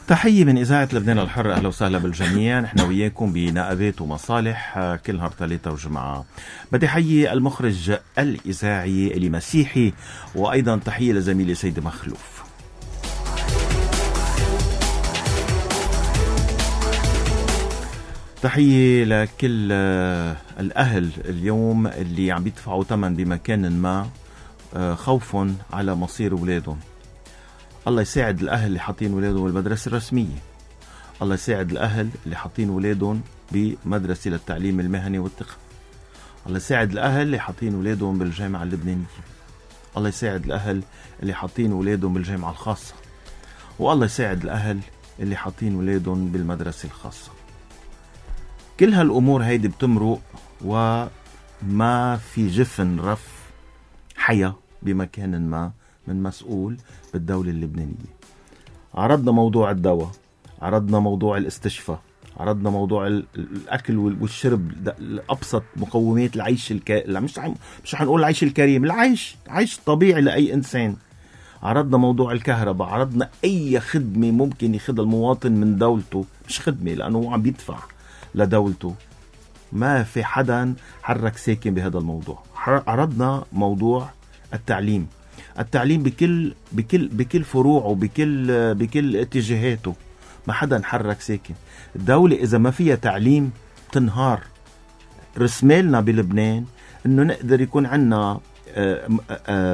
تحية من إذاعة لبنان الحر. أهلا وسهلا بالجميع. نحن وياكم بنقابات ومصالح كل نهار ثلاثة وجمعة. بدي حيي المخرج الإذاعي اللي مسيحي، وأيضا تحية لزميلي سيد مخلوف. تحية لكل الأهل اليوم اللي عم بيدفعوا ثمن بمكان ما خوف على مصير أولادهم. الله يساعد الأهل اللي حاطين أولادهم بالمدرسة الرسمية. الله يساعد الأهل اللي حاطين أولادهم بمدرسة للتعليم المهني والتقني. الله يساعد الأهل اللي حاطين أولادهم بالجامعة اللبنانية. الله يساعد الأهل اللي حاطين أولادهم بالجامعة الخاصة. والله يساعد الأهل اللي حاطين أولادهم بالمدرسة الخاصة. كل هالأمور هيدي بتمرق وما في جفن رف حياة بمكان ما من مسؤول بالدولة اللبنانية. عرضنا موضوع الدواء، عرضنا موضوع الاستشفاء، عرضنا موضوع الأكل والشرب، أبسط مقومات العيش مش هنقول العيش الكريم، العيش طبيعي لأي إنسان. عرضنا موضوع الكهرباء، عرضنا أي خدمة ممكن ياخذها المواطن من دولته، مش خدمة لأنه هو عم بيدفع لدولته. ما في حدا حرك ساكن بهذا الموضوع. عرضنا موضوع التعليم بكل فروعه، بكل اتجاهاته. ما حدا حرك ساكن. الدولة إذا ما فيها تعليم تنهار. رسمالنا بلبنان إنه نقدر يكون عنا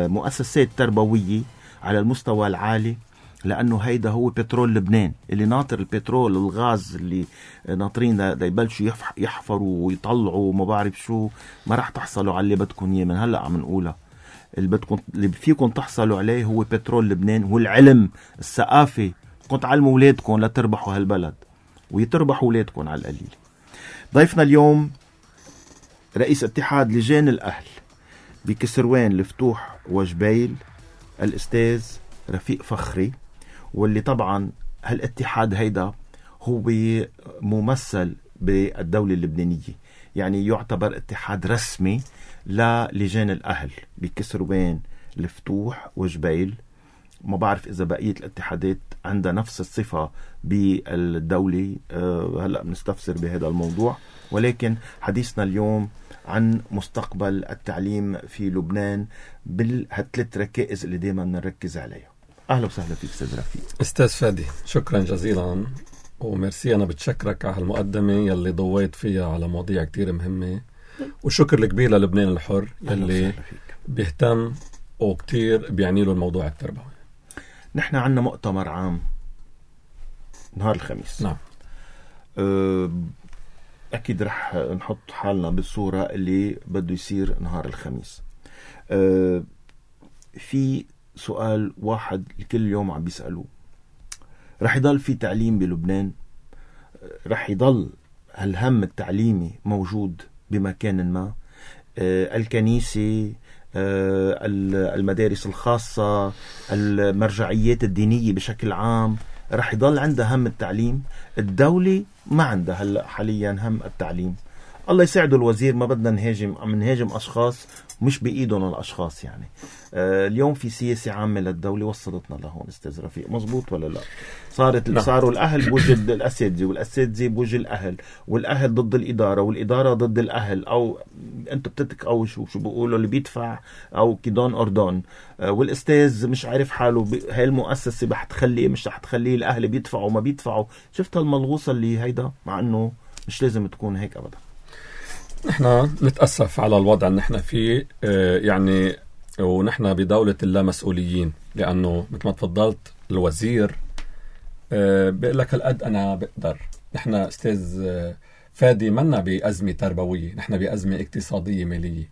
مؤسسات تربوية على المستوى العالي، لأنه هيدا هو بترول لبنان اللي ناطر. البترول الغاز اللي ناطرين دا يبلشوا يحفروا ويطلعوا ما بعرف شو. ما راح تحصلوا على اللي بدكم إياه. من هلأ عم نقولها. اللي فيكم تحصلوا عليه هو بترول لبنان، هو العلم، الثقافة. كنت تعلموا أولادكم لتربحوا هالبلد ويتربحوا أولادكم على القليل. ضيفنا اليوم رئيس اتحاد لجان الأهل بكسروان، الفتوح وجبيل، الأستاذ رفيق فخري. واللي طبعا هالاتحاد هيدا هو ممثل بالدولة اللبنانية، يعني يعتبر اتحاد رسمي للجان الأهل بكسروان، الفتوح وجبيل. ما بعرف إذا بقية الاتحادات عندها نفس الصفة بالدولة. هلأ بنستفسر بهذا الموضوع، ولكن حديثنا اليوم عن مستقبل التعليم في لبنان بالثلاث ركائز اللي دايما نركز عليها. أهلا وسهلا فيك أستاذ رفيق. أستاذ فادي، شكرا جزيلا وميرسي. أنا بتشكرك على المقدمة يلي ضويت فيها على مواضيع كتير مهمة، وشكر الكبير للبنان الحر يلي بيهتم وكتير بيعني له الموضوع التربوي. نحن عنا مؤتمر عام نهار الخميس. نعم. أكيد رح نحط حالنا بالصورة اللي بده يصير نهار الخميس. في سؤال واحد كل يوم عم بيسألوه: رح يضل في تعليم بلبنان؟ رح يضل هالهم التعليمي موجود بمكان ما؟ الكنيسة، المدارس الخاصة، المرجعيات الدينية بشكل عام رح يضل عندها هم التعليم؟ الدولة ما عندها هلأ حاليا هم التعليم. الله يساعده الوزير. ما بدنا نهاجم أشخاص مش بإيدهم الأشخاص. يعني اليوم في سياسة عامة للدولة وصلتنا لهون. أستاذ رفيق، مزبوط ولا لا؟ صاروا الأهل بوجه الأساتذة، والأساتذة بوجه الأهل، والأهل ضد الإدارة، والإدارة ضد الأهل. أو أنتوا بتتك شو بيقولوا اللي بيدفع أو كيدون أردون. والأستاذ مش عارف حاله هاي المؤسسة رح تخليه مش رح تخليه، الأهل بيدفعوا ما بيدفعوا. شفت الملغوصة اللي هيدا، مع أنه مش لازم تكون هيك أبدا. نحن نتأسف على الوضع اللي نحن فيه، يعني ونحن بدولة اللامسؤوليين، لأنه مثل ما تفضلت الوزير بيقول لك هالقد أنا بقدر. نحن أستاذ فادي منا بأزمة تربوية، نحن بأزمة اقتصادية مالية،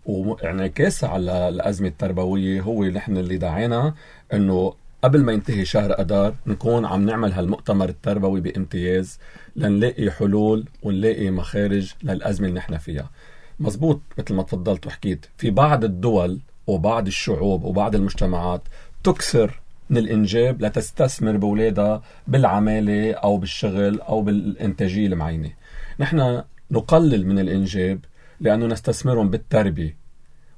وانعكاسها على الأزمة التربوية هو نحن اللي دعينا أنه قبل ما ينتهي شهر أدار نكون عم نعمل هالمؤتمر التربوي بامتياز لنلاقي حلول ونلاقي مخارج للأزمة اللي نحن فيها. مزبوط مثل ما تفضلت وحكيت، في بعض الدول وبعض الشعوب وبعض المجتمعات تكسر من الإنجاب لتستثمر بولادها بالعمالة أو بالشغل أو بالإنتاجية المعينة. نحن نقلل من الإنجاب لأنه نستثمرهم بالتربية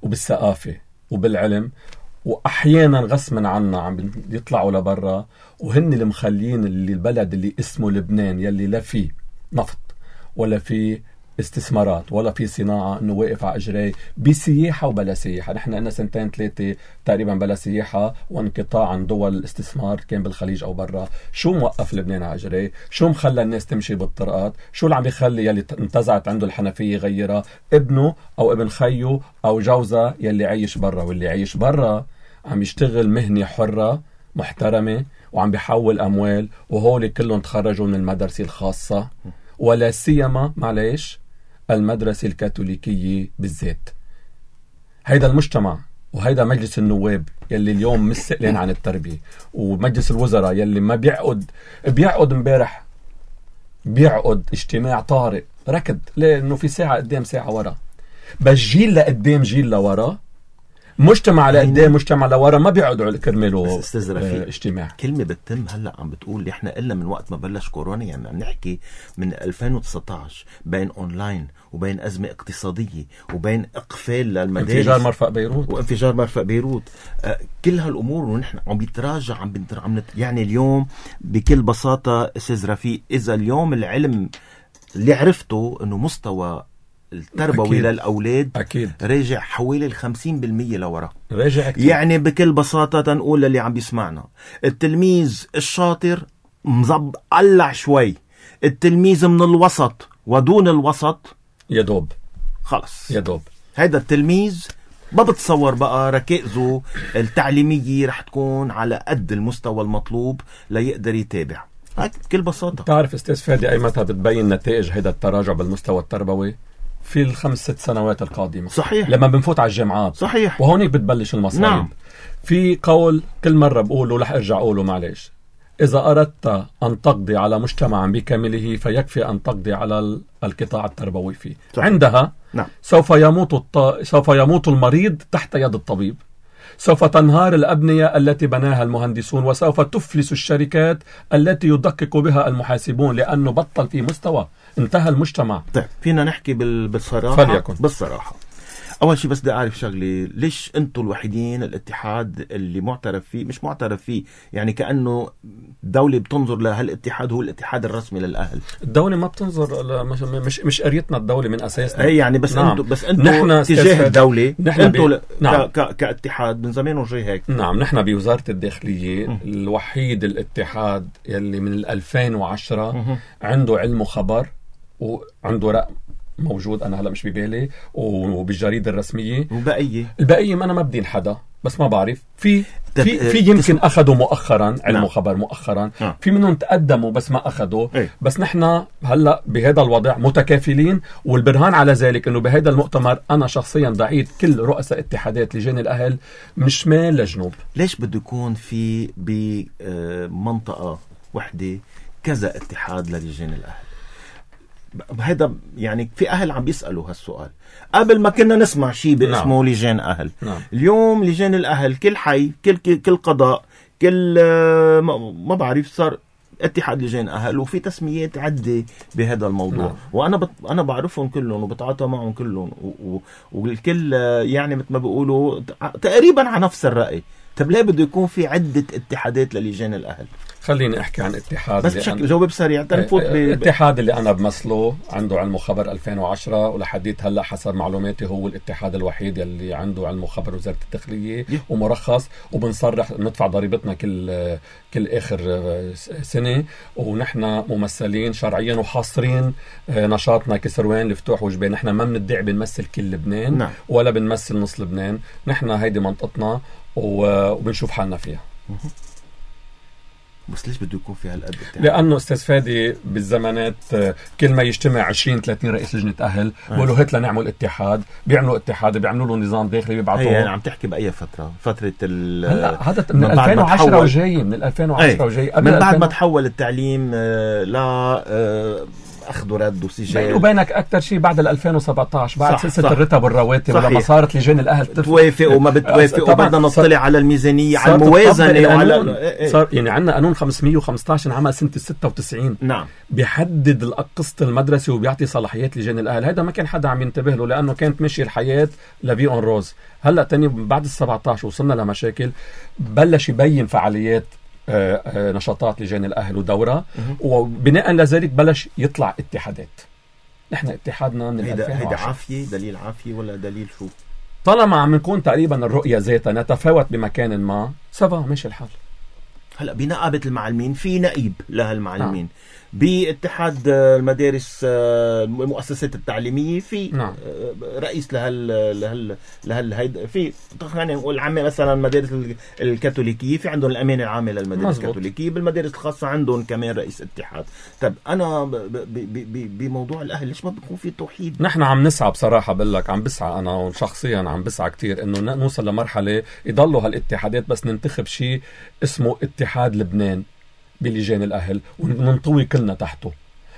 وبالثقافة وبالعلم، واحيانا غصبا عنا عم يطلعوا لبرا، وهن اللي مخلين اللي البلد اللي اسمه لبنان يلي لا فيه نفط ولا فيه استثمارات ولا في صناعة، انه واقف على اجريه بسياحة وبلا سياحة. نحن لنا 2-3 تقريبا بلا سياحة وانقطاع عن دول الاستثمار كان بالخليج او برا. شو موقف لبنان على اجريه؟ شو مخلى الناس تمشي بالطرقات؟ شو اللي عم يخلي يلي انتزعت عنده الحنفية يغيرها؟ ابنه او ابن خيه او جوزه يلي عايش برا، واللي عايش برا عم يشتغل مهنة حرة محترمة وعم بيحول اموال، وهول كلهم تخرجوا من المدرسة الخاصة ولا سيما معليش المدرسة الكاثوليكية بالذات. هيدا المجتمع وهيدا مجلس النواب يلي اليوم مسئلين عن التربية، ومجلس الوزراء يلي ما بيعقد امبارح بيعقد اجتماع طارئ ركض لأنه في ساعة قدام ساعة ورا، بس جيل لقدام جيل لورا، مجتمع لقدام مجتمع لورا ما بيقعدوا كرماله اجتماع. كلمة بتتم هلأ عم بتقول احنا إلا من وقت ما بلش كورونا، يعني عم نحكي من 2019 بين أونلاين وبين أزمة اقتصادية وبين إقفال للمدارس، انفجار مرفأ بيروت كل هالأمور، ونحن عم بيتراجع يعني اليوم بكل بساطة أستاذ رفيق، إذا اليوم العلم اللي عرفته إنه مستوى التربوي أكيد. للأولاد أكيد راجع حوالي 50% لورا، راجع أكيد. يعني بكل بساطة تنقول للي عم بيسمعنا، التلميذ الشاطر قلع شوي، التلميذ من الوسط ودون الوسط يدوب خلص يدوب. هيدا التلميذ ما بتصور بقى ركائزه التعليمية رح تكون على قد المستوى المطلوب ليقدر يتابع. بكل بساطة تعرف استاذ فادي أي متى بتبين نتائج هيدا التراجع بالمستوى التربوي؟ في 5-6 سنوات القادمة. صحيح. لما بنفوت على الجامعات. صحيح. وهونيك بتبلش المصايب. نعم. في قول كل مرة بقوله رح ارجع اقوله معلش، إذا أردت أن تقضي على مجتمع بكامله فيكفي أن تقضي على القطاع التربوي فيه. صحيح. عندها نعم. سوف يموت المريض تحت يد الطبيب، سوف تنهار الأبنية التي بناها المهندسون، وسوف تفلس الشركات التي يدقق بها المحاسبون، لأنه بطل في مستوى، انتهى المجتمع. طيب فينا نحكي بالصراحة؟ فليكن. بالصراحة أول شيء بس بدي أعرف شغلي، ليش أنتوا الوحيدين الاتحاد اللي معترف فيه، مش معترف فيه يعني كأنه الدولة بتنظر لهالاتحاد هو الاتحاد الرسمي للأهل؟ الدولة ما بتنظر مش قريتنا الدولة من أساسنا. أي يعني بس نعم. أنتوا تجاه الدولة أنتوا نعم. كاتحاد من زمان وجاي هيك. نعم نحن بوزارة الداخلية الوحيد الاتحاد يلي من 2010 عنده علم وخبر وعنده رقم موجود، أنا هلأ مش ببالي، وبالجريدة الرسمية. البقية ما أنا ما بدين حدا، بس ما بعرف في يمكن أخذوا مؤخرا علم وخبر مؤخرا، في منهم تقدموا بس ما أخذوا. بس نحن هلأ بهذا الوضع متكافلين، والبرهان على ذلك أنه بهذا المؤتمر أنا شخصيا دعيت كل رؤساء اتحادات لجان الأهل من شمال لجنوب. ليش بده يكون في بمنطقة وحدة كذا اتحاد للجان الأهل؟ هذا يعني في أهل عم بيسألوا هالسؤال. قبل ما كنا نسمع شيء باسمه نعم. لجان أهل. نعم. اليوم لجان الأهل كل حي كل قضاء كل ما بعرف صار اتحاد لجان أهل، وفي تسميات عدة بهذا الموضوع. نعم. وأنا أنا بعرفهم كلهم وبتعاطى معهم كلهم والكل يعني مثل ما بيقولوا تقريبا على نفس الرأي. طب ليه بده يكون في عدة اتحادات للجان الأهل؟ خليني أحكي عن اتحاد بس بشكل جواب سريع تنفوت الاتحاد اللي أنا بمثله عنده علم وخبر 2010 ولحديت هلأ حسب معلوماتي هو الاتحاد الوحيد اللي عنده علم وخبر وزارة الداخلية ومرخص، وبنصرح ندفع ضريبتنا كل آخر سنة، ونحن ممثلين شرعيا وحاصرين نشاطنا كسروان لفتوح وجبين. نحن ما بندعي بنمثل كل لبنان. نعم. ولا بنمثل نص لبنان، نحن هيدي منطقتنا وبنشوف حالنا فيها. بس ليش بده يكون في هالقد؟ لأنه أستاذ فادي بالزمانات كل ما يجتمع 20-30 رئيس لجنة أهل بيقولوا هات لنعمل اتحاد، بيعملوا اتحاد، بيعملوا له نظام داخلي بيبعثوه. يعني عم تحكي بأي فترة هلا هذا من 2010 وجاي، من 2010 وجاي من بعد ما تحول التعليم ل أخذ ورد وسجال. بيني وبينك أكتر شيء بعد 2017 بعد سلسلة صح. الرتب والرواتب ولما صارت لجان الأهل توافق وما بتوافق وبدنا نطلع على الميزانية على الموازنة وعلى صار يعني عندنا قانون 515 انعمل سنة 96. نعم. بيحدد قسط المدرسة وبيعطي صلاحيات لجان الأهل. هذا ما كان حدا عم ينتبه له لأنه كانت ماشية الحياة لبي اون روز. هلأ تاني بعد 17 وصلنا لمشاكل، بلش يبين فعاليات نشاطات لجان الأهل ودورة، وبناء لذلك بلش يطلع اتحادات. نحن اتحادنا من 2010. هيدا عافية، دليل عافية ولا دليل شو؟ طالما عم نكون تقريبا الرؤية ذاتها نتفاوت بمكان ما سبا ماشي الحال. هلا بنقابة المعلمين في نقيب لهالمعلمين، باتحاد المدارس المؤسسات التعليمية في رئيس لهال في خلينا نقول عامة مثلا المدارس الكاثوليكية في عندهم الأمانة العامة للمدارس الكاثوليكية، بالمدارس الخاصة عندهم كمان رئيس اتحاد. طب أنا بموضوع الأهل ليش ما بيكون في توحيد؟ نحن عم نسعى بصراحة، بقول لك عم بسعى أنا شخصيا، عم بسعى كتير إنه نوصل لمرحلة يضلوا هالاتحادات بس ننتخب شيء اسمه اتحاد لبنان بلجان الأهل وننطوي كلنا تحته.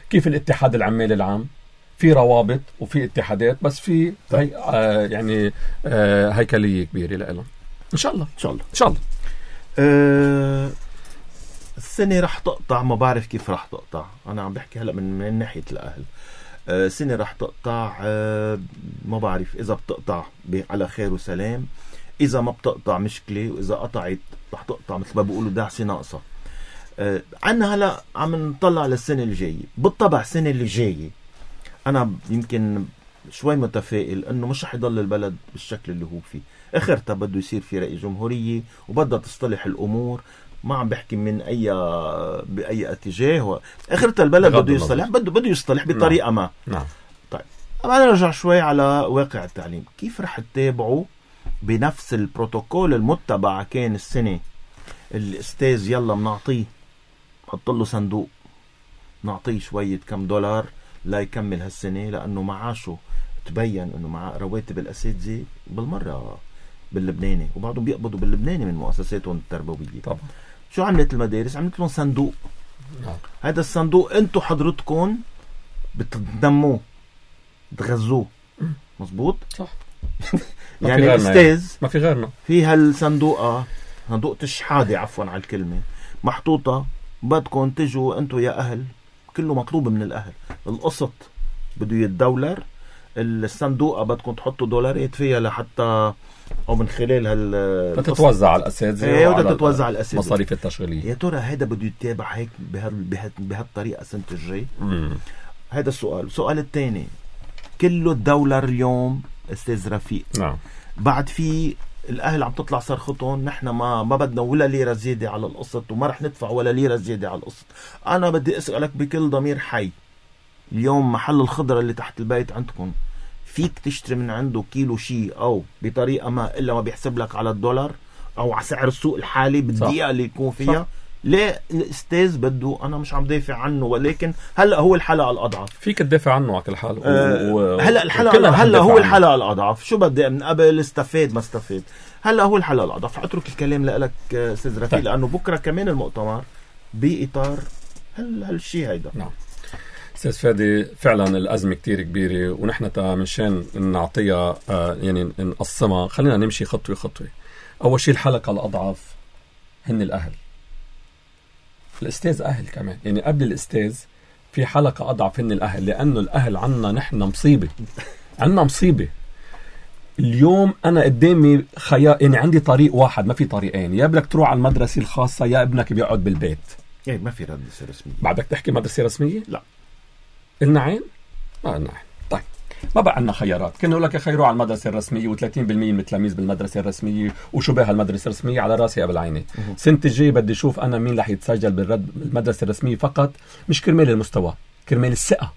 كيف الاتحاد العمالي العام في روابط وفي اتحادات بس في يعني هيكلية كبيرة لهم. إن شاء الله إن شاء الله إن شاء الله. السنة رح تقطع، ما بعرف كيف رح تقطع. أنا عم بحكي هلأ من ناحية الأهل. السنة رح تقطع، ما بعرف إذا بتقطع على خير وسلام، إذا ما بتقطع مشكلة، وإذا قطعت رح تقطع مثل ما بيقولوا دعسة ناقصة. عنا هلا عم نطلع للسنة الجاية. بالطبع السنة اللي جاية أنا يمكن شوي متفائل إنه مش رح يضل البلد بالشكل اللي هو فيه. آخرتها بده يصير في رئيس جمهورية وبدها تصطلح الأمور. ما عم بحكي من بأي اتجاه. آخرتها البلد بده يصطلح، بده يصطلح بطريقة ما. نعم. طيب أنا نرجع شوي على واقع التعليم. كيف رح تتابعوا بنفس البروتوكول المتبع؟ كان السنة الأستاذ يلا منعطيه، حط له صندوق، نعطيه شوية كم دولار لا يكمل هالسنة، لأنه معاشه تبين أنه مع رواتب الأساتذة بالمرة باللبناني، وبعضهم بيقبضوا باللبناني من مؤسساتهم التربوية. طبعا. شو عملت المدارس؟ عملت لهم صندوق. هذا الصندوق انتو حضرتكم بتنموه بتغذوه. مزبوط؟ صح. يعني الأستاذ ما في غيرنا في هالصندوق، صندوق الشحادة عفوا على الكلمة، محطوطة. بدكم تجوا انتو يا أهل، كله مطلوب من الأهل. القسط بده يتدولر، الصندوقة بدكم تحطوا دولارات فيها لحتى أو من خلال تتوزع على الأساتذة وتتوزع على الأساتذة مصاريف التشغيلية. يا ترى هذا بده يتابع هيك بهالطريقة السنة الجاي؟ هذا السؤال. السؤال الثاني، كله الدولار اليوم أستاذ رفيق. نعم. بعد في الأهل عم تطلع صرختهم نحن ما بدنا ولا ليرة زيادة على القسط، وما رح ندفع ولا ليرة زيادة على القسط. أنا بدي أسألك بكل ضمير حي، اليوم محل الخضرة اللي تحت البيت عندكم فيك تشتري من عنده كيلو شيء أو بطريقة ما إلا ما بيحسب لك على الدولار أو على سعر السوق الحالي بالدقيقة اللي يكون فيها؟ صح. ليه الأستاذ بده؟ أنا مش عم دافع عنه، ولكن هلأ هو الحلقة الأضعف. فيك تدافع عنه على كل حال. هلأ الحلقة هلأ هو الحلقة الأضعف. شو بدي من قبل استفاد ما استفاد؟ هلأ هو الحلقة الأضعف. أترك الكلام لك أستاذ رفيق، لأنه بكرة كمان المؤتمر بإطار هالشيء هيدا. نعم. أستاذ فادي، فعلا الأزمة كتير كبيرة، ونحن منشان نعطيها يعني نقسمها. خلينا نمشي خطوة خطوة. أول شيء الحلقة الأضعف هن الأهل. الأستاذ أهل كمان، يعني قبل الأستاذ في حلقة أضعف هن الأهل، لأنه الأهل عنا نحن مصيبة. عنا مصيبة. اليوم أنا قدامي خيار، يعني عندي طريق واحد، ما في طريقين. يا بدك تروح على المدرسة الخاصة يا ابنك بيقعد بالبيت. يعني ما في مدرسة رسمية. بعدك تحكي مدرسة رسمية؟ لا. قلنا عين؟ ما قلنا عين. طيب ما بقى عندنا خيارات. كنا نقول لك خيروا على المدرسة الرسمية و30% من التلاميذ بالمدرسة الرسمية وشو بها المدرسة الرسمية على راسي قبل عيني. سنة الجاي بدي أشوف أنا مين رح يتسجل بالمدرسة الرسمية فقط، مش كرمال المستوى، كرمال الثقة.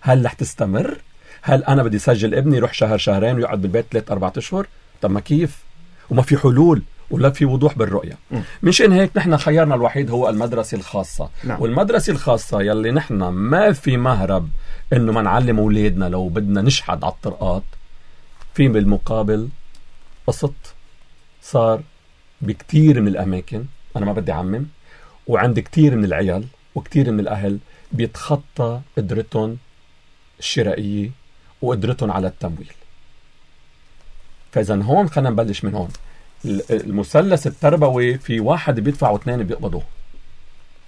هل رح تستمر؟ هل أنا بدي سجل ابني يروح شهر شهرين ويقعد بالبيت 3-4 أشهر؟ طب ما كيف؟ وما في حلول ولا في وضوح بالرؤية. مشان هيك نحن خيارنا الوحيد هو المدرسة الخاصة. نعم. والمدرسة الخاصة يلي نحن ما في مهرب إنه ما نعلم أولادنا لو بدنا نشحد على الطرقات، في بالمقابل قسط صار بكتير من الأماكن. أنا ما بدي أعمم، وعند كتير من العيال وكتير من الأهل بيتخطى قدرتهم الشرائية وقدرتهم على التمويل. فإذا هون خلينا نبلش من هون. المثلث التربوي في واحد بيدفع واثنين بيقبضوه،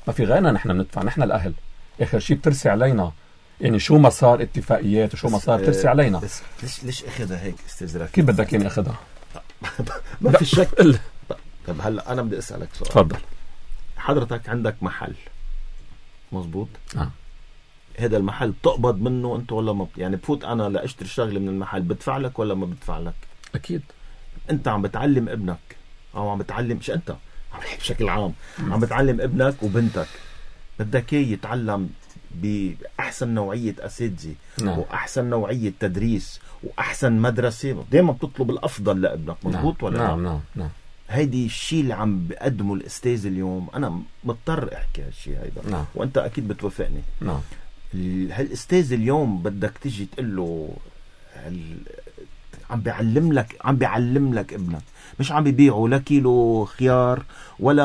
ما في غيرنا نحن بندفع، نحن الأهل آخر شيء بترسي علينا. يعني شو ما صار اتفاقيات وشو ما صار بترسي علينا. بس ليش أخذها هيك استاذ رفيق؟ كيف بدك يعني أخذها؟ ما في شك. طب هلا أنا بدي أسألك سؤال. تفضل. حضرتك عندك محل مزبوط؟ نعم. هذا المحل بتقبض منه أنت ولا ما يعني بفوت أنا لأشتري شغلة من المحل بدفع لك ولا ما بدفع لك؟ أكيد. أنت عم بتعلم ابنك أو عم بتعلم، مش أنت بشكل عام عم بتعلم ابنك وبنتك، بدك إياه يتعلم بأحسن نوعية أساتذة. نعم. وأحسن نوعية تدريس وأحسن مدرسة. دايما بتطلب الأفضل لابنك، مضبوط ولا نعم. نعم. نعم. هيدي الشيء اللي عم بقدمه الأستاذ اليوم. أنا مضطر أحكي هالشيء هيدا. نعم. وأنت أكيد بتوافقني. نعم. هالأستاذ اليوم بدك تجي تقول له عم بيعلم لك ابنك، مش عم بيبيعوا لا كيلو خيار ولا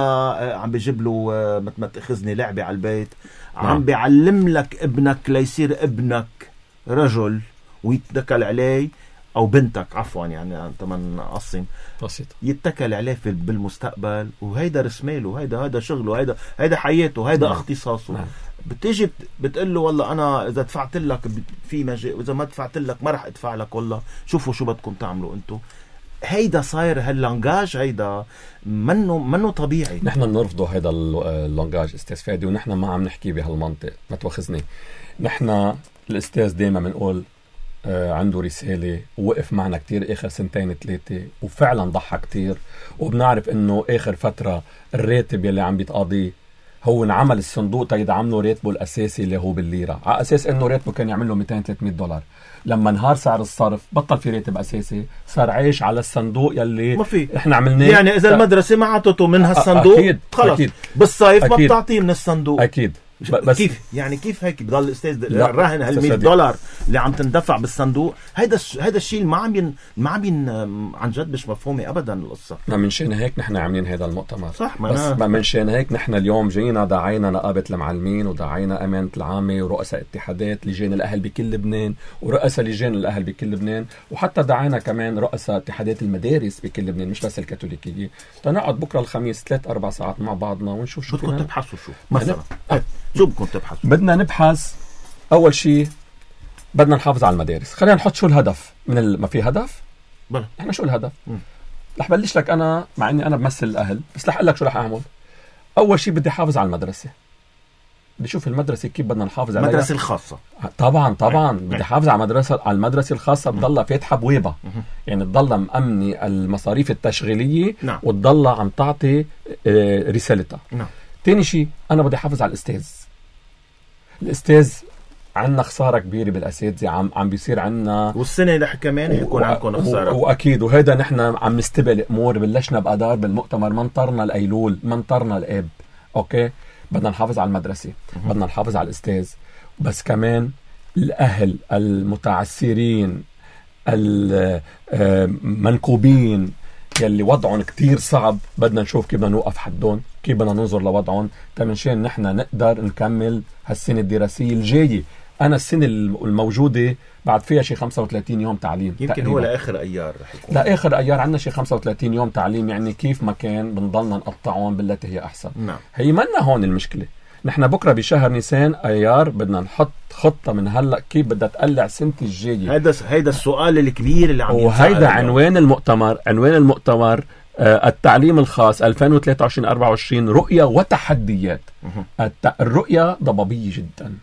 عم بيجيب له مثل ما تأخذني لعبة على البيت. عم بيعلم لك ابنك ليصير ابنك رجل ويتكل عليه، أو بنتك عفوا يعني أنت من قصم بسيط يتكل عليه بالمستقبل. وهيدا رسماله، هيدا شغله، هيدا حياته، هيدا اختصاصه. بتيجي بتقول له والله أنا إذا دفعت لك في مجال، وإذا ما دفعت لك ما رح أدفع لك، والله شوفوا شو بدكم تعملوا أنتو. هيدا صاير هاللانجاج هيدا منه طبيعي. نحن بنرفضه هيدا اللانجاج استاذ فادي، ونحن ما عم نحكي بهالمنطق، ما تواخذني. نحن الاستاذ دايما بنقول عنده رسالة ووقف معنا كتير آخر 2-3 وفعلا ضحى كتير، وبنعرف انه آخر فترة الراتب يلي عم بيتقاضيه هو انعمل الصندوق تيدعمله راتبه الأساسي اللي هو بالليرة، على أساس انه راتبه كان يعمل له $200-300. لما انهار سعر الصرف بطل في راتب أساسي، صار عايش على الصندوق يلي ما في. احنا عملناه. يعني إذا المدرسة ما عطته من هالصندوق أكيد. خلص أكيد. بالصيف ما بتعطيه من الصندوق. أكيد. بس كيف هيك بضل الاستاذ راهن $100 اللي عم تندفع بالصندوق؟ هيدا الشيء ما عم عن جد مش مفهومه ابدا القصه. من شان هيك نحن عاملين هذا المؤتمر. صح. بس من شان هيك نحن اليوم جينا دعينا نقابه المعلمين ودعينا امانه العامه ورؤساء اتحادات لجان الاهل بكل لبنان ورؤساء لجان الاهل بكل لبنان، وحتى دعينا كمان رؤساء اتحادات المدارس بكل لبنان مش بس الكاثوليكيه، تنقعد بكره الخميس 3-4 ساعات مع بعضنا ونشوف شو بدكم تبحثوا. شو مثلا شو بدكم تبحثوا؟ بدنا نبحث اول شيء، بدنا نحافظ على المدارس. خلينا نحط شو الهدف من ما في هدف بلا احنا شو الهدف. رح بلش لك انا مع اني انا بمثل الاهل، بس رح اقول لك شو رح اعمل. اول شيء بدي احافظ على المدرسه، بدي اشوف المدرسه كيف بدنا نحافظ عليها. المدرسه الخاصه طبعا بدي احافظ على المدرسه الخاصه تضلها فاتحه بويبه، يعني تضلها مأمنه المصاريف التشغيليه. نعم. وتضلها عم تعطي رسالتها. نعم. تاني شيء انا بدي احافظ على الاستاذ عندنا خساره كبيره بالاساتذه، عم بيصير عندنا، والسنه رح كمان يكون عندكم خساره. واكيد، وهذا نحن عم نستبق امور. بلشنا بادار بالمؤتمر، منطرنا الايلول، منطرنا الاب. اوكي، بدنا نحافظ على المدرسه، بدنا نحافظ على الاستاذ، بس كمان الاهل المتعسرين المنكوبين يلي وضعهم كتير صعب، بدنا نشوف كيف بدنا نوقف حدهم، كيف بدنا ننظر لوضعهم تمنشان نحن نقدر نكمل هالسنة الدراسية الجاية. أنا السنة الموجودة بعد فيها شي 35 يوم تعليم يمكن تقريباً. هو لآخر أيار رح يكون. لآخر أيار عندنا شي 35 يوم تعليم، يعني كيف ما كان بنضلنا نقطعهم بالتي هي أحسن. نعم. هي منا هون المشكلة. نحن بكرة بشهر نيسان أيار بدنا نحط خطة من هلأ كيف بدها تقلع سنة الجاية. هيدا السؤال الكبير اللي عم ينسأل. وهيدا عنوان المؤتمر التعليم الخاص 2023-24 رؤية وتحديات. الرؤية ضبابية جدا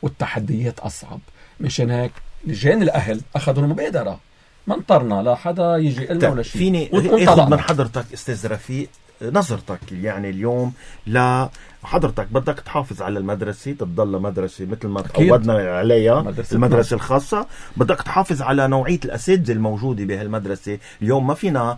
والتحديات أصعب، مشان هيك لجان الأهل أخذوا المبادرة، ما انطرنا لا حدا يجي لنا ولا شيء. فيني اخذ من حضرتك استاذ رفيق نظرتك يعني اليوم حضرتك بدك تحافظ على المدرسة، تضل مدرسة مثل ما تعودنا عليها المدرسة الخاصة، بدك تحافظ على نوعية الأساتذة الموجودة بهالمدرسة. اليوم ما فينا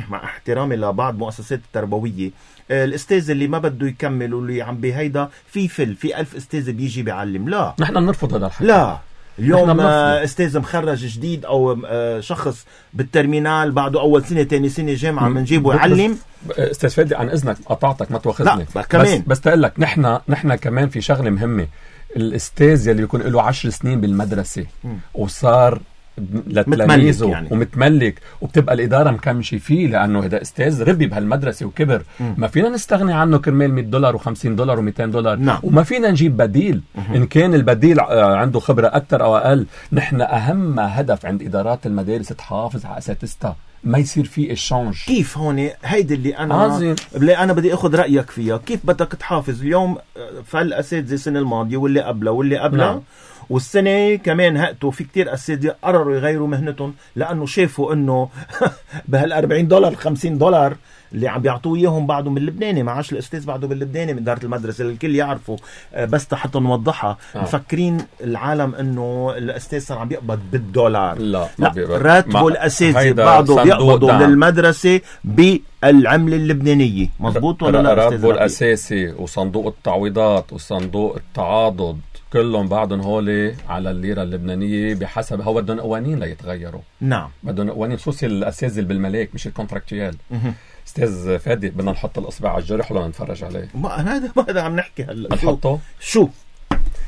مع احترامي لبعض مؤسسات التربوية، الأستاذ اللي ما بده يكمل واللي عم بهيدا في 1000 أستاذ بيجي بيعلم. لا، نحن بنرفض هذا الحكي. لا، اليوم استاذ مخرج جديد او شخص بالترمينال بعده اول سنه ثاني سنه جامعه بنجيبه يعلم. استاذ فادي عن اذنك قطعتك ما تواخذني، كمان بس تقول لك نحن كمان في شغله مهمه. الاستاذ يلي بيكون له 10 سنين بالمدرسة وصار لتلاميذه يعني. ومتملك وبتبقى الإدارة مكمشة فيه لأنه هذا أستاذ ربي بهالمدرسة وكبر. ما فينا نستغني عنه كرمال $100 و$50 و$200. نعم. وما فينا نجيب بديل. إن كان البديل عنده خبرة أكتر أو أقل. نحن أهم هدف عند إدارات المدارس تحافظ على أساتذتها، ما يصير فيه إشانج. كيف هون هيدي اللي أنا بدي أخذ رأيك فيها. كيف بدك تحافظ اليوم فالأساتذة السنة الماضية واللي قبلها نعم. والسنة كمان هقتوا في كتير أساتذة قرروا يغيروا مهنتهم لأنه شافوا أنه بهال$40 $50 اللي عم بيعطوه إياهم بعده من اللبناني. معاش الأستاذ بعده باللبناني من إدارة المدرسة اللي الكل يعرفوا. بس حتى نوضحها مفكرين العالم أنه الأستاذ صار عم بيقبض $1. لا راتبه الأساتذة بعده بيقبضوا للمدرسة بالعملة اللبنانية. مظبوط ولا لا؟ راتبه الأساسي وصندوق التعويضات وصندوق التعاضد كلهم بعضهم هولي على الليرة اللبنانية بحسب هو بدهم قوانين ليتغيروا. نعم بدهم قوانين خصوصي الأساتذة اللي بالملاك مش الكونتراكتيال. استاذ فادي بدنا نحط الأصبع على الجرح ولا نتفرج عليه؟ ما هذا عم نحكي هلا. نحطه شو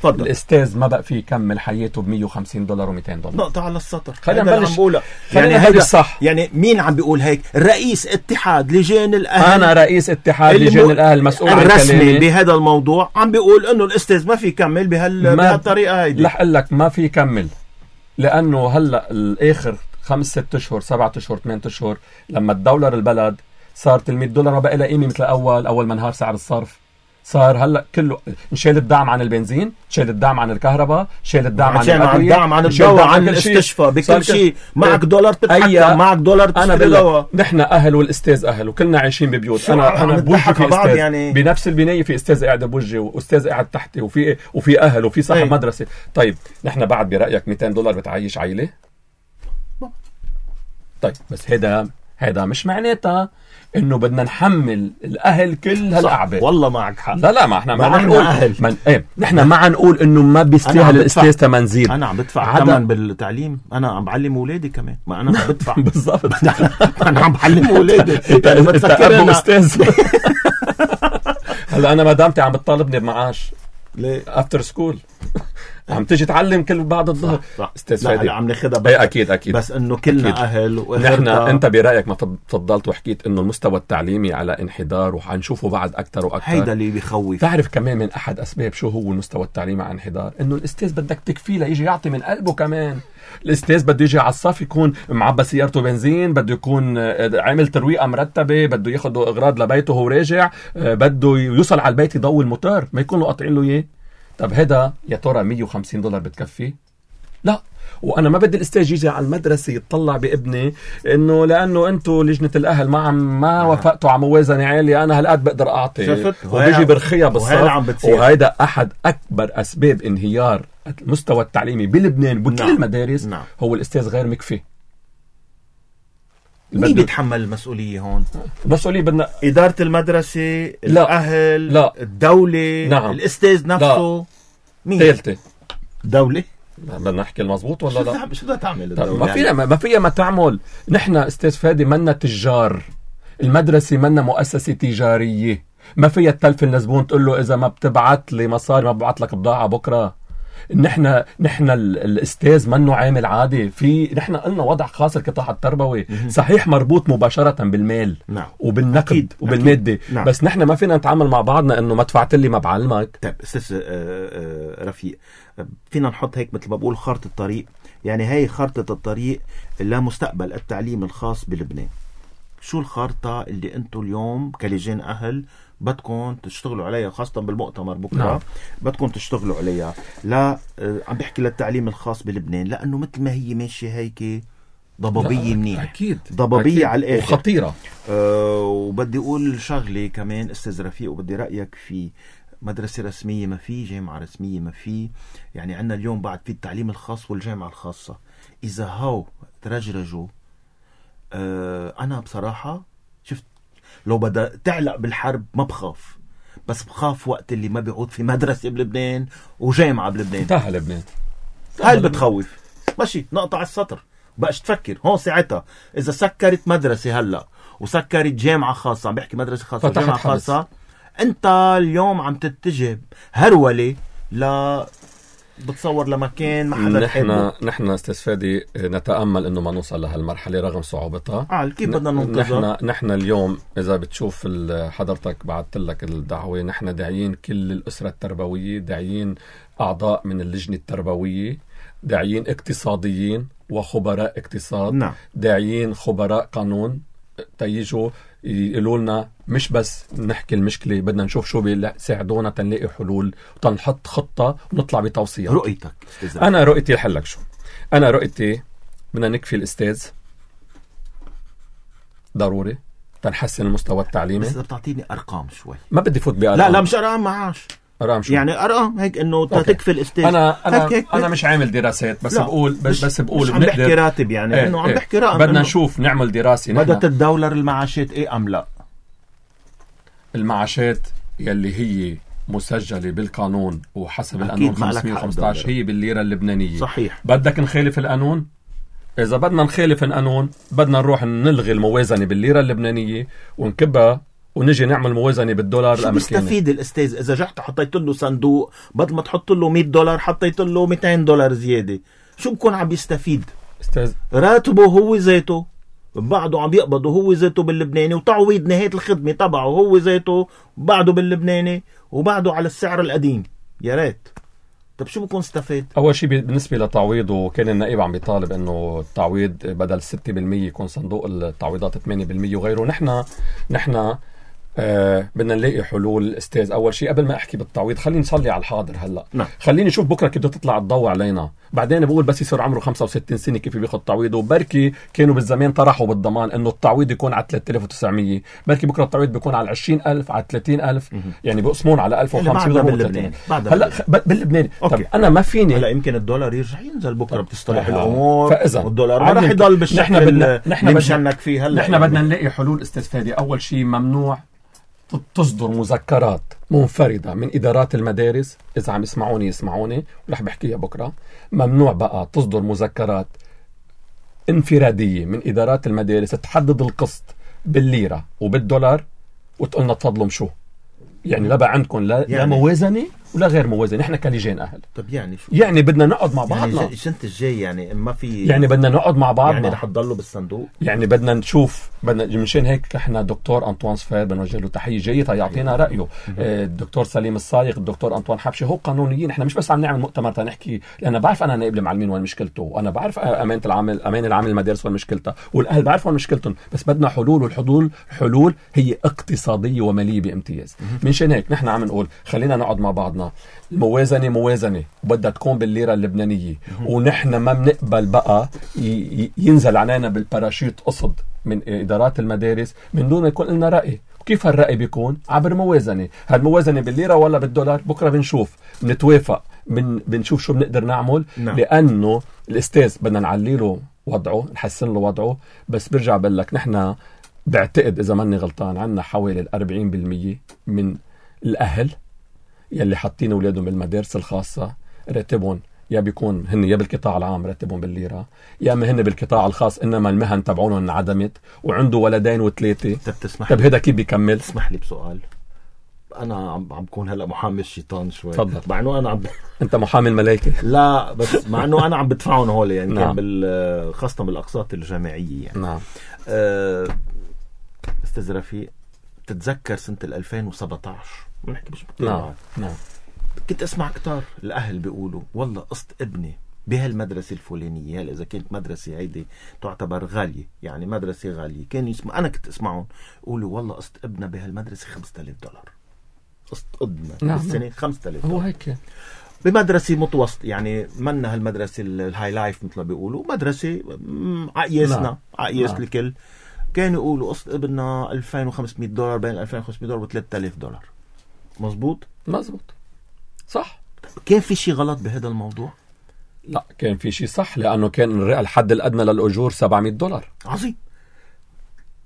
فضل. الأستاذ ما بقى فيه يكمل حياته $150 و$200. نقطة على السطر. خلينا نبلش. يعني هذا الصح. يعني مين عم بيقول هيك؟ رئيس اتحاد لجان الأهل. أنا رئيس اتحاد لجان الأهل مسؤول عن الرسمي بهذا الموضوع عم بيقول إنه الأستاذ ما في يكمل بهالطريقة هيدي. رح أقول لك ما في يكمل لأنه هلا الآخر 5-6 أشهر 7 أشهر 8 أشهر لما تدولر البلد صارت $100 ما بقى لها قيمة مثل أول ما انهار سعر الصرف. صار هلا كله شال الدعم عن البنزين، شال الدعم عن الكهرباء، شال الدعم عن الأدوية، الدعم عن الدواء، عن الاستشفاء، بكل شيء. معك $1 تتحكم، معك $1 تشتري دواء. نحن أهل والأستاذ أهل وكلنا عايشين ببيوت. أنا بوجهي في أستاذ يعني. بنفس البناية في أستاذ قاعد بوجهي وأستاذ قاعد تحتي وفي أهل وفي صاحب مدرسة. طيب نحن بعد برأيك $200 بتعيش عائلة؟ طيب بس هذا مش معناتها انه بدنا نحمل الاهل كل هالاعباء. والله معك حق. لا ما احنا ما نقول نحن ما نقول انه ما بيستاهل الاستاذ ثمن زيد. انا عم بدفع ثمن بالتعليم، انا عم بعلم اولادي كمان، ما انا عم بدفع. بالضبط. انا عم بعلم اولادي. انت ابو استاذ. هلا انا مدامتي عم بتطالبني بمعاش ليه افتر سكول عم تيجي تعلم كل بعد الظهر. استاذ فادي عم ناخذها اكيد بس انه كلنا أكيد. اهل نحن انت برايك ما تفضلت وحكيت انه المستوى التعليمي على انحدار وحنشوفه بعد اكثر واكثر. هيدا اللي بيخوف. تعرف كمان من احد اسباب شو هو المستوى التعليمي على انحدار؟ انه الاستاذ بدك تكفيه ليجي يعطي من قلبه. كمان الاستاذ بده يجي على الصف يكون معبى سيارته بنزين، بده يكون عامل ترويقه مرتبه، بده ياخذ اغراض لبيته وهو راجع، بده يوصل على البيت يضوي الموتور، ما يكونوا قاطعين له اياه. طب هذا يا ترى $150 بتكفي؟ لا. وانا ما بدي الاستاذ يجي على المدرسه يتطلع بابني انه لانه انتم لجنه الاهل ما وافقتوا على موازنه عاليه انا هالقد بقدر اعطي، وبيجي برخيها بالصف. وهذا احد اكبر اسباب انهيار المستوى التعليمي بلبنان بكل المدارس. هو الاستاذ غير مكفي. مين بيتحمل المسؤولية هون؟ المسؤولية بدنا إدارة المدرسة، الأهل، الدولة، الأستاذ نفسه. مين؟ ثالثة دولة. بدنا نحكي المضبوط ولا لا؟ شو بدها تعمل الدولة؟ ما فيها ما تعمل. نحن استاذ فادي منا تجار. المدرسة منا مؤسسة تجارية. ما فيها تلفن لزبون تقول له إذا ما بتبعت لي مصاري ما ببعت لك بضاعة بكرة. نحن الاستاذ منه عامل عادي. نحن قلنا وضع خاص القطاع التربوي صحيح مربوط مباشرة بالمال وبالنقد وبالمادة. بس نحن ما فينا نتعامل مع بعضنا انه ما دفعت لي ما بعلمك. طيب استاذ رفيق، فينا نحط هيك مثل ما بقول خارطة الطريق. يعني هاي خارطة الطريق لمستقبل التعليم الخاص بلبنان. شو الخارطة اللي انتم اليوم كلجان اهل بدكم تشتغلوا عليها خاصة بالمؤتمر بكرة؟ بدكم تشتغلوا عليها. لا عم بحكي للتعليم الخاص بلبنان، لأنه مثل ما هي ماشية هيك ضبابية منيح. أكيد ضبابية أكيد. على الآخر وخطيرة. وبدي أقول شغلة كمان استاذ رفيق وبدي رأيك في مدرسة رسمية ما في، جامعة رسمية ما في. يعني عنا اليوم بعد في التعليم الخاص والجامعة الخاصة. إذا هاو ترجرجوا أنا بصراحة شفت لو بدأ تعلق بالحرب ما بخاف، بس بخاف وقت اللي ما بيعود في مدرسة بلبنان وجامعة بلبنان. انتهى لبنان. هاي اللي بتخوف. ماشي نقطع السطر بقاش تفكر هون ساعتها. إذا سكرت مدرسة هلأ وسكرت جامعة خاصة، عم بحكي مدرسة خاصة وجامعة خاصة، أنت اليوم عم تتجه هرولة لا بتصور لمكان ما حدا بحبه. نحن استاذ فادي نتامل انه ما نوصل لهالمرحله رغم صعوبتها. كيف بدنا ننتظر؟ نحن اليوم اذا بتشوف حضرتك بعثت لك الدعوه، نحن داعيين كل الاسره التربويه، داعيين اعضاء من اللجنه التربويه، داعيين اقتصاديين وخبراء اقتصاد. نعم. داعيين خبراء قانون تيجوا يقولوا لنا مش بس نحكي المشكلة، بدنا نشوف شو بيساعدونا تنلاقي حلول وتنحط خطة ونطلع بتوصيات. رؤيتك؟ أنا رؤيتي لحلك شو؟ أنا رؤيتي بدنا نكفي الأستاذ ضروري تنحسن المستوى التعليمي. بس بتعطيني أرقام شوي. ما بدي فوت بأرقام. لا مش أرقام، معاش. أرقام شو؟ يعني أرقام هيك إنه تكفي الأستاذ. أنا مش عامل دراسات، بس بقول بس بقول مش عم بحكي راتب، يعني إنه عم بحكي رقم. بدنا نشوف نعمل دراسة. بدها تتدولر المعاشات إيه أم لا؟ المعاشات يلي هي مسجلة بالقانون وحسب القانون 515 هي بالليرة اللبنانية. صحيح. بدك نخالف القانون؟ إذا بدنا نخالف القانون بدنا نروح نلغي الموازنة بالليرة اللبنانية ونكبها ونجي نعمل موازنة بالدولار الأمريكي. شو بيستفيد الأستاذ إذا جحت حطيت له صندوق بدل ما تحط له $100 حطيت له $200 زيادة؟ شو بكون عم بيستفيد؟ أستاذ راتبه هو ذاته بعده عم يقبضه هو ذاته باللبناني، وتعويض نهاية الخدمة تبعه هو ذاته بعده باللبناني، وبعده على السعر القديم. يا ريت. طب شو بكون استفاد؟ أول شيء بالنسبة لتعويضه كان النائب عم بيطالب إنه التعويض بدل 6% يكون صندوق التعويضات 8% وغيره. نحن بدنا نلاقي حلول. استاذ اول شيء قبل ما احكي بالتعويض خليني نصلي على الحاضر هلا. نعم. خليني اشوف بكره كيف بدها تطلع الضوء علينا. بعدين بقول بس يصير عمره 65 سنه كيف بياخذ تعويضه. وبركي كانوا بالزمان طرحوا بالضمان انه التعويض يكون على 3900، بركي بكره التعويض بيكون على 20,000 على 30,000. يعني بقسمون على 1500 باللبناني. هلا باللبناني. طب انا ما فيني هلا يمكن الدولار يرجع ينزل بكره بتصلح الامور، فاذا والدولار ما رح يضل بالشكل نحن مشانك فيه هلا. نحن بدنا نلاقي حلول استاذ فادي. اول شيء ممنوع تصدر مذكرات منفردة من إدارات المدارس. إذا عم يسمعوني ورح بحكيها بكرة. ممنوع بقى تصدر مذكرات انفرادية من إدارات المدارس تحدد القسط بالليرة وبالدولار وتقولنا تفضلوا شو يعني لا بقى عندكم لا موازنة ولا غير موازنة. نحن كلجان أهل. طب يعني شو؟ يعني بدنا نقعد مع بعضنا. يعني السنة الجاي يعني ما في، يعني بدنا نقعد مع بعضنا. يعني رح تضلوا بالصندوق. يعني بدنا نشوف مشان هيك احنا دكتور أنطوان صفير بنوجه له تحية جيدة يعطينا رأيه. الدكتور سليم الصايغ، الدكتور أنطوان حبشي، هو قانونيين. احنا مش بس عم نعمل مؤتمر تنحكي، لأن بعرف أنا نائب المعلمين وين مشكلته، وأنا بعرف أمانة العامل المدارس وين مشكلتها، والأهل بعرفوا وين مشكلتهم. بس بدنا حلول، والحلول هي اقتصادية ومالية بامتياز. مشان هيك نحن عم نقول خلينا نقعد مع بعضنا. موازنة بدها تكون بالليرة اللبنانية، ونحن ما بنقبل بقى ينزل علينا بالباراشوت قصد من إدارات المدارس من دون يكون لنا رأي. وكيف هالرأي بيكون؟ عبر موازنة. هالموازنة بالليرة ولا بالدولار؟ بكرة بنشوف، بنتوافق، بنشوف شو بنقدر نعمل. نعم. لأنه الأستاذ بدنا نعلي له وضعه، نحسن له وضعه. بس برجع بقول لك نحن بعتقد إذا ماني غلطان عنا حوالي 40% من الأهل يلي حاطين أولادهم بالمدارس الخاصة راتبهم يا بيكون هن يا بالقطاع العام راتبهم بالليرة، يا اما هن بالقطاع الخاص انما المهن تبعونهم انعدمت وعنده ولدين وثلاثة. طب هذا كيف بيكمل؟ اسمح لي بسؤال. انا عم بكون هلا محامي الشيطان شوي. تفضل. مع انه انا انت محامي الملائكة. لا بس مع انه انا عم بدفعهم هول يعني. نعم. كان خاصة بالاقساط الجامعية يعني. نعم. استاذ رفيق، تتذكر سنة 2017 بنحكي مش نعم. نعم. كنت اسمع كتار الاهل بيقولوا والله قسط ابني بهالمدرسة الفلانية، هلا اذا كانت مدرسة هيدي تعتبر غالية، يعني مدرسة غالية، كان يسمع، انا كنت اسمعهم يقولوا والله قسط ابننا بهالمدرسة $5,000 قسط ابننا. نعم. بالسنة $5,000. هو هيك بمدرسة متوسط، يعني منا هالمدرسة الهاي لايف مثل ما بيقولوا، مدرسة عقياسنا. نعم. عقياس. نعم. الكل كانوا يقولوا قسط ابننا $2,500 بين $2,500 و$3,000. مزبوط صح. كان في شيء غلط بهذا الموضوع؟ لا كان في شيء صح، لأنه كان الحد الأدنى للأجور $700. عظيم.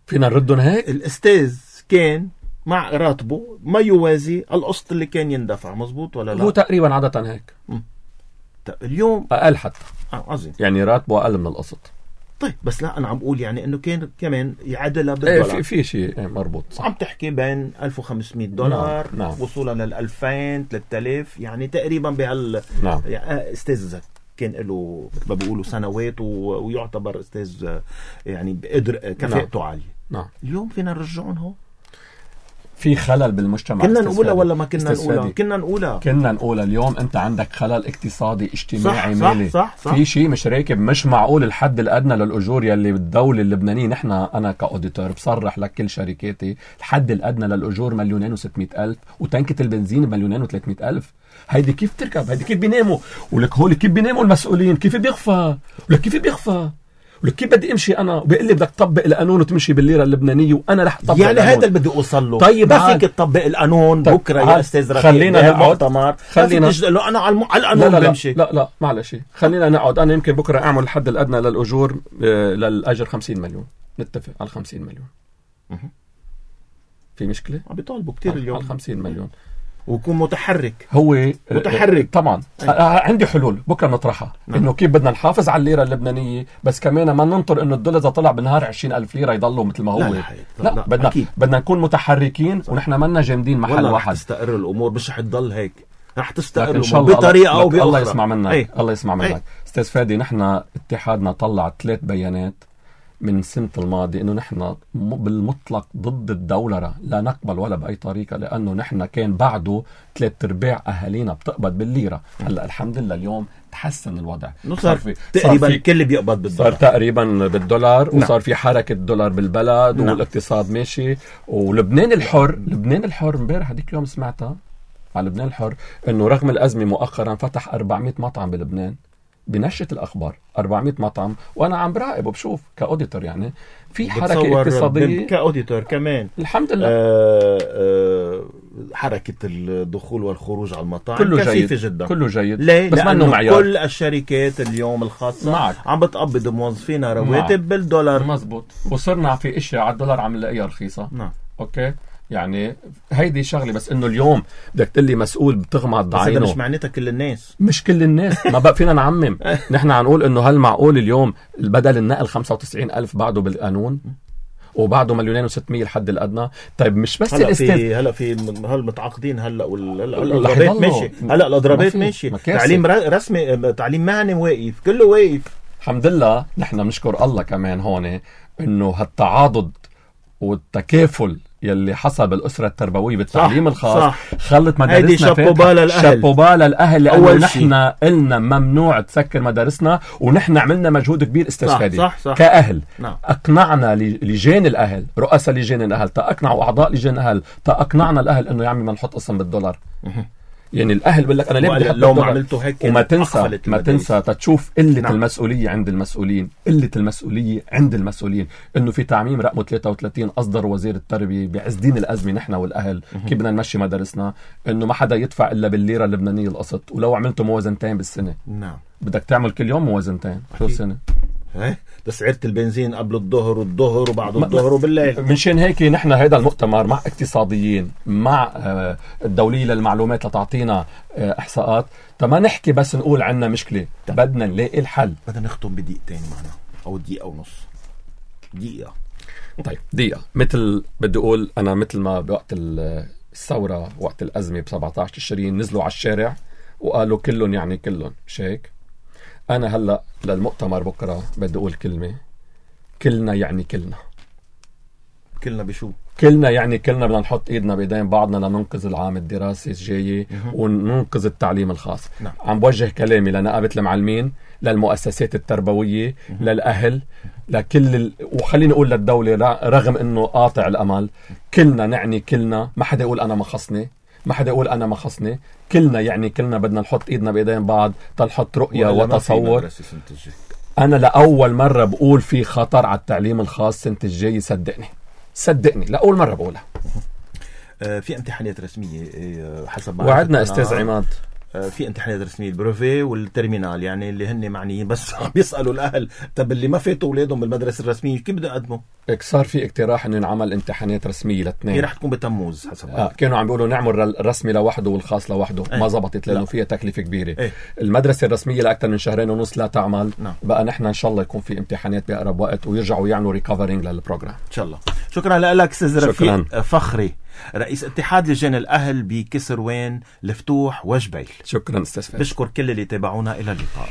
فينا نردهم هيك. الأستاذ كان مع راتبه ما يوازي القسط اللي كان يندفع. مزبوط ولا لا؟ هو تقريبا عادة هيك. اليوم أقل حتى. عظيم. يعني راتبه أقل من القسط. طيب بس لا انا عم بقول يعني انه كان كمان يعادلها ايه بالدولار. في شيء مربوط عم تحكي بين $1500 نعم. وصولا لل2000 3000 يعني تقريبا بهال نعم. يعني استاذ كان له مثل ما بيقولوا سنوات ويعتبر استاذ يعني بقدر كفاءته نعم. عاليه. نعم. اليوم فينا نرجعهم هو في خلل بالمجتمع. كنا نقولها ولا ما كنا نقولها؟ كنا نقولها. اليوم انت عندك خلل اقتصادي اجتماعي صح مالي. صح في شيء مش راكب. مش معقول الحد الادنى للاجور يلي بالدوله اللبنانيه، نحن انا كاوديتور بصرح لك كل شركاتي الحد الادنى للاجور 2,600,000 وتنكه البنزين 2,300,000. هيدي كيف تركب؟ هيدي كيف بيناموا؟ ولك هول كيف بيناموا المسؤولين؟ كيف بيخفى؟ ولك كيف بيخفى؟ ولك كيف بدي امشي انا وبيقول لي بدك تطبق القانون وتمشي بالليره اللبنانيه وانا رح اطبق يعني القانون. هذا اللي بدي اوصل له. طيب ما فيك تطبق القانون طيب بكره يا استاذ رفيق خلينا نقعد. خلينا له انا على القانون بمشي. لا معلش خلينا نقعد. انا يمكن بكره اعمل الحد الادنى للاجور للاجر 50 مليون. نتفق على 50 مليون. في مشكله؟ عم بيطالبوا كثير اليوم على 50 مليون ويكون متحرك. هو متحرك طبعا. عندي حلول بكره نطرحها. انه كيف بدنا نحافظ على الليره اللبنانيه بس كمان ما ننطر انه الدولار اذا طلع بالنهار 20,000 ليره يضلوا مثل ما هو. لا بدنا نكون متحركين ونحن منا جامدين محل واحد. رح تستقر الامور مش رح تضل هيك. رح تستقر إن شاء الله بطريقه او باخرى. الله يسمع منك. الله يسمع منك استاذ فادي. نحن اتحادنا طلع 3 بيانات من السنة الماضي انه نحن بالمطلق ضد الدولرة، لا نقبل ولا باي طريقة، لانه نحن كان بعده 3/4 اهالينا بتقبض بالليرة. هلا الحمد لله اليوم تحسن الوضع. صار تقريبا الكل بيقبض بالدولار. صار تقريبا بالدولار. وصار في حركة دولار بالبلد. والاقتصاد ماشي. ولبنان الحر امبارح هذيك اليوم سمعتها على لبنان الحر انه رغم الازمة مؤخرا فتح 400 مطعم بلبنان. بنشرة الأخبار 400 مطعم. وأنا عم براقب وبشوف كأوديتور يعني في حركة اقتصادية كأوديتور كمان الحمد لله. حركة الدخول والخروج على المطاعم كله كثيفة جيد جدا. كله جيد. ليه؟ بس لأنه معيار. كل الشركات اليوم الخاصة معك. عم بتقبض موظفينها رواتب بالدولار. مزبوط. وصرنا في اشياء على الدولار عم نلاقيها رخيصة. نعم. اوكي يعني هيدي شغلة. بس انه اليوم بدك تقلي مسؤول بتغمض عينه. بس مش معناتها كل الناس. مش كل الناس. ما بقى فينا نعمم. نحن عنقول انه هل معقول اليوم بدل النقل 95,000 بعده بالقانون وبعده 2,600,000 الحد الادنى؟ طيب مش بس هلا في هالمتعاقدين هلا الاضرابات ماشي. هلا الاضرابات ماشي. تعليم رسمي تعليم مهني واقف كله واقف. الحمد لله. نحن بنشكر الله كمان هون انه هالتعاضد والتكافل يلي حصل بالأسرة التربوية بالتعليم الخاص خلت مدارسنا شابوبا للأهل. لأنه نحن قلنا ممنوع تسكر مدارسنا ونحن عملنا مجهود كبير استاذ فادي كأهل. أقنعنا لجان الأهل، رؤساء لجان الأهل تأقنعوا أعضاء لجان الأهل تأقنعنا الأهل إنه يعمل ما نحط قسم بالدولار. يعني الأهل بيقول لك أنا ليه بدي أحط لو ما عملته هيك. وما تنسى تشوف قلة المسؤولية عند المسؤولين. قلة المسؤولية عند المسؤولين. إنه في تعميم رقم 33 أصدر وزير التربية بعز دين الأزمة نحن والأهل كيف بدنا نمشي مدارسنا. إنه ما حدا يدفع إلا بالليرة اللبنانية القسط. ولو عملته موازنتين بالسنة بدك تعمل كل يوم موازنتين شو السنة. تسعيرة البنزين قبل الظهر والظهر وبعد الظهر وبالليل. منشان هيك نحن هيدا المؤتمر مع اقتصاديين مع الدولية للمعلومات لتعطينا احصاءات. ما نحكي بس نقول عنا مشكلة. بدنا نلاقي الحل. بدنا نختم بدقيقتين معنا او دقيقة ونص. دقيقة. طيب دقيقة. مثل بدي اقول انا مثل ما بوقت الثورة وقت الازمة ب17 تشرين نزلوا على الشارع وقالوا كلهم يعني كلهم مش هيك. أنا هلأ للمؤتمر بكرة بدي أقول كلمة. كلنا يعني كلنا. كلنا بشو؟ كلنا يعني كلنا بدنا نحط إيدنا بإيدين بعضنا لننقذ العام الدراسي الجاي وننقذ التعليم الخاص. عم بوجه كلامي لنقابة المعلمين، للمؤسسات التربوية، للأهل، لكل وخليني أقول للدولة رغم إنه قاطع الأمل. كلنا نعني كلنا. ما حدا يقول أنا ما خصني. كلنا يعني كلنا بدنا نحط ايدنا بايدين بعض تنحط رؤية وتصور. انا لأول مرة بقول في خطر على التعليم الخاص سنة الجاي. صدقني لأول مرة بقولها. في امتحانات رسمية حسب وعدنا استاذ عماد في امتحانات رسمية، البروفي والترمينال، يعني اللي هن معنيين بس بيسألوا الأهل طب اللي ما فاتوا أولادهم بالمدرسة الرسمية كيف بدهم يقدموا؟ صار في اقتراح انه ينعمل امتحانات رسمية لاثنين. هي رح تكون بتموز حسب كانوا عم بيقولوا نعمل الرسمي لوحده والخاص لوحده. ما زبطت لانه فيها تكلفة كبيرة. المدرسة الرسمية لأكثر من 2.5 لا تعمل. بقى نحن ان شاء الله يكون في امتحانات بأقرب وقت ويرجعوا يعملوا ريكفرينج للبروجرام ان شاء الله. شكرا لك استاذ رفيق فخري، رئيس اتحاد لجان الأهل بكسروان، الفتوح وجبيل. شكرا استاذ. بشكر كل اللي تابعونا. إلى اللقاء.